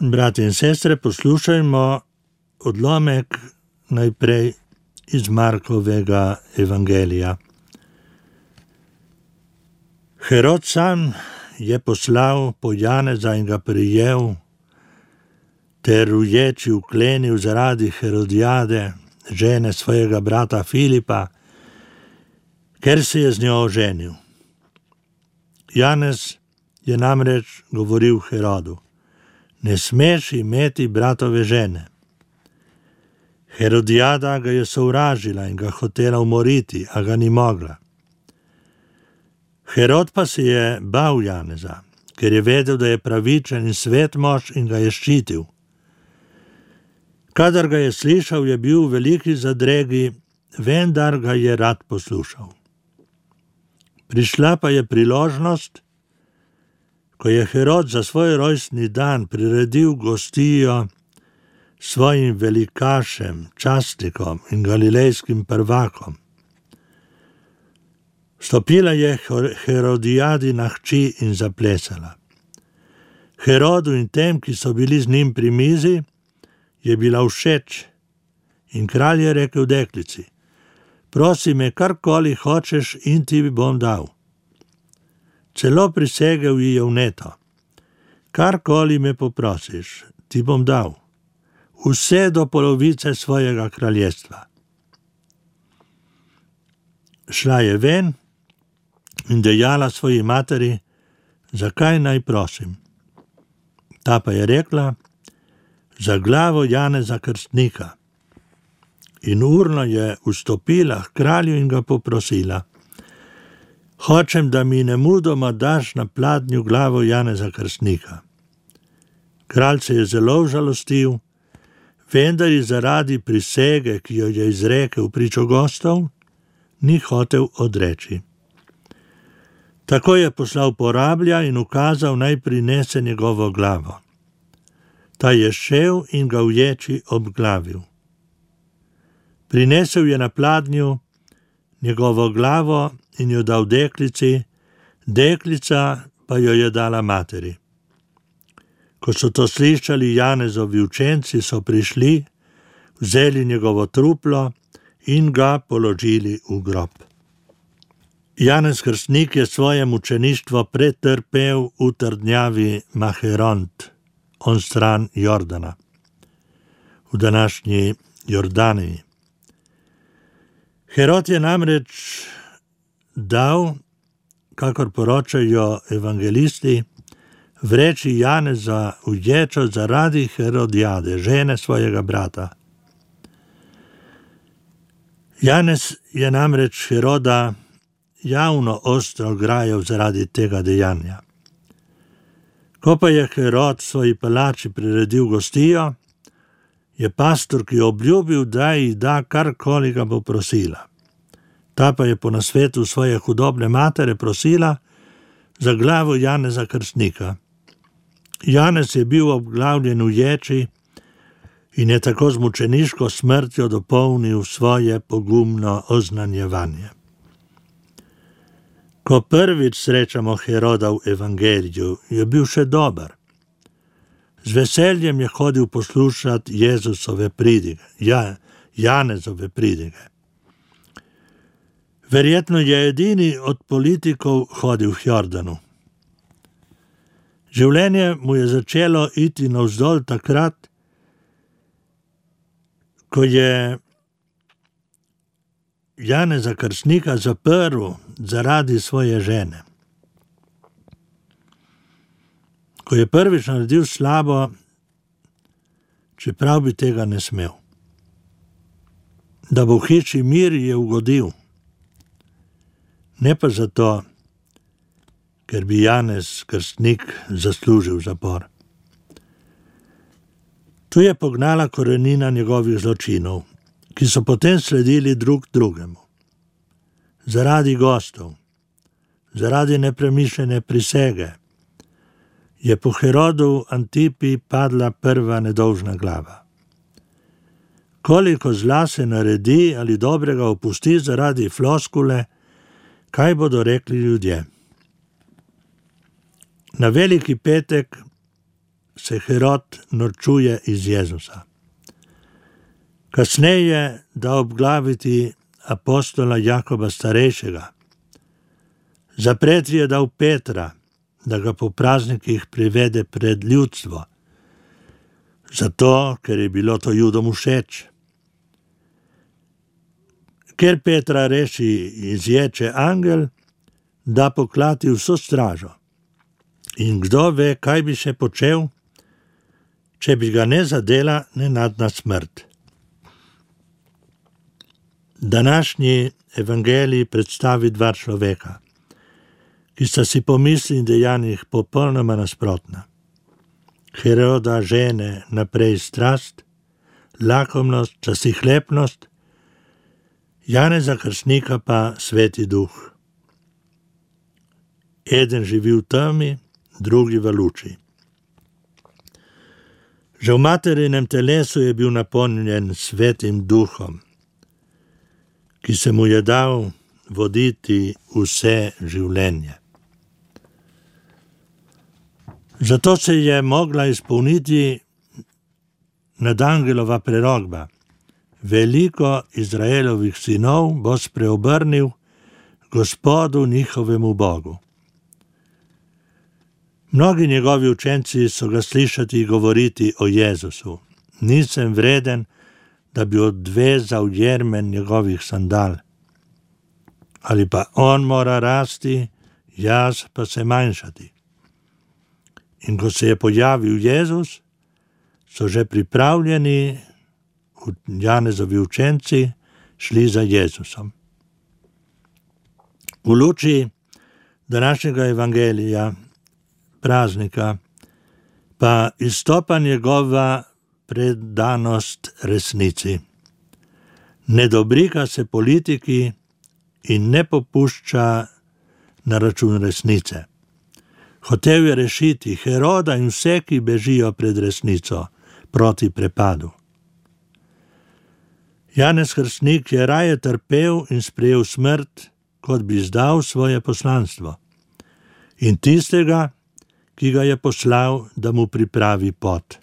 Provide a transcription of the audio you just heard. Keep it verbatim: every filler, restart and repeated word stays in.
Brati in sestre, poslušajmo odlomek najprej iz Markovega evangelija. Herod sam je poslal po Janeza in ga prijel, ter uječi vklenil zaradi Herodijade, žene svojega brata Filipa, ker se je z njo oženil. Janez je namreč govoril Herodu: ne smeš imeti bratove žene. Herodijada ga je sovražila in ga hotela umoriti, a ga ni mogla. Herod pa se je bal Janeza, ker je vedel, da je pravičen in svet mož in ga je ščitil. Kadar ga je slišal, je bil v veliki zadregi, vendar ga je rad poslušal. Prišla pa je priložnost, ko je Herod za svoj rojstni dan priredil gostijo svojim velikašem, častnikom in galilejskim prvakom. Stopila je Herodijadina hči in zaplesala. Herodu in tem, ki so bili z njim pri mizi, je bila všeč in kralj je rekel deklici: prosi me, karkoli hočeš in ti bom dal. Celo prisegel ji je vneto: karkoli me poprosiš, ti bom dal, vse do polovice svojega kraljestva. Šla je ven in dejala svoji materi, zakaj naj prosim. Ta pa je rekla: za glavo Janeza Krstnika. In urno je vstopila k kralju in ga poprosila: hočem, da mi nemudoma daš na pladnju glavo Janeza Krstnika. Kralj se je zelo žalostil, vendar je zaradi prisege, ki jo je izrekel pričo gostov, ni hotel odreči. Tako je poslal porablja in ukazal, naj prinese njegovo glavo. Ta je šel in ga uječi obglavil. Prinesel je na pladnju njegovo glavo in jo dal deklici, deklica pa jo je dala materi. Ko so to slišali Janezovi učenci, so prišli, vzeli njegovo truplo in ga položili v grob. Janez Krstnik je svoje mučeništvo pretrpel v trdnjavi Maheront, on stran Jordana, v današnji Jordaniji. Herod je namreč dal, kakor poročajo evangelisti, vreči Janeza v ječo zaradi Herodijade, žene svojega brata. Janez je namreč Heroda javno ostro grajal zaradi tega dejanja. Ko pa je Herod svoji palači priredil gostijo, je pastorki obljubil, da ji da karkoli ga bo prosila. Ta pa je po nasvetu svoje hudobne matere prosila za glavo Janeza Krstnika. Janez je bil obglavljen v ječi in je tako z mučeniško smrtjo dopolnil svoje pogumno oznanjevanje. Ko prvič srečamo Heroda v evangeliju, je bil še dober. Z veseljem je hodil poslušati Jezusove pridige, ja, Janezove pridige. Verjetno je edini od politikov hodil v Jordanu. Življenje mu je začelo iti navzdol takrat, ko je Janeza Krstnika zaprl zaradi svoje žene. Ko je prvič naredil slabo, čeprav bi tega ne smel. Da bo v hiši mir, je ugodil. Ne pa zato, ker bi Janez Krstnik zaslužil zapor. Tu je pognala korenina njegovih zločinov, ki so potem sledili drug drugemu. Zaradi gostov, zaradi nepremišljene prisege, je po Herodu Antipi padla prva nedolžna glava. Koliko zla se naredi ali dobrega opusti zaradi floskule, kaj bodo rekli ljudje. Na veliki petek se Herod norčuje iz Jezusa. Kasneje da obglaviti apostola Jakoba starejšega. Zapreti je dal Petra, da ga po praznikih privede pred ljudstvo, zato, ker je bilo to Judom všeč. Ker Petra reši izječe angel, da poklati vso stražo. In kdo ve, kaj bi še počel, če bi ga ne zadela nenadna smrt. Današnji evangelij predstavi dva človeka, ki sta si po misli in dejanjih popolnoma nasprotna. Heroda žene naprej strast, lakomnost, častihlepnost, Janeza Krstnika pa sveti duh. Eden živi v temi, drugi v luči. Že v materinem telesu je bil napolnjen svetim duhom, ki se mu je dal voditi vse življenje. Zato se je mogla izpolniti nadangelova prerokba. Veliko Izraelovih sinov bo spreobrnil Gospodu njihovemu Bogu. Mnogi njegovi učenci so ga slišati govoriti o Jezusu. Nisem vreden, da bi odvezal jermen njegovih sandal. Ali pa on mora rasti, jaz pa se manjšati. In ko se je pojavil Jezus, so že pripravljeni Janezovi učenci šli za Jezusom. V luči današnjega evangelija, praznika, pa izstopa njegova predanost resnici. Ne dobrika se politiki in ne popušča na račun resnice. Hotel je rešiti Heroda in vse, ki bežijo pred resnico, proti prepadu. Janez Krstnik je raje trpel in sprejel smrt, kot bi izdal svoje poslanstvo. In tistega, ki ga je poslal, da mu pripravi pot.